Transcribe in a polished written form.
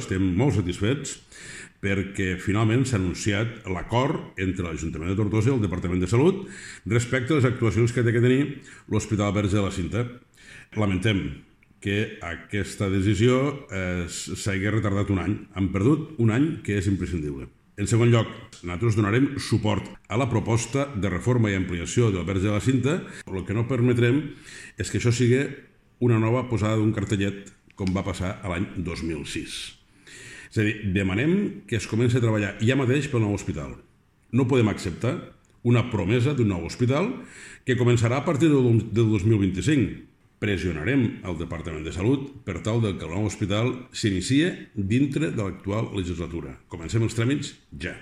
Estem molt satisfets perquè finalment s'ha anunciat l'acord entre l'Ajuntament de Tortosa i el Departament de Salut respecte a les actuacions que té que tenir l'Hospital Verge de la Cinta. Lamentem que aquesta decisió s'hagi retardat un any. Han perdut un any que és imprescindible. En segon lloc, nosaltres donarem suport a la proposta de reforma i ampliació del Verge de la Cinta. El que no permetrem és que això sigui una nova posada d'un cartellet com va passar l'any 2006. És a dir, demanem que es comenci a treballar ja mateix pel nou hospital. No podem acceptar una promesa d'un nou hospital que començarà a partir del 2025. Pressionarem el Departament de Salut per tal que el nou hospital s'inicie dintre de l'actual legislatura. Comencem els tràmits ja.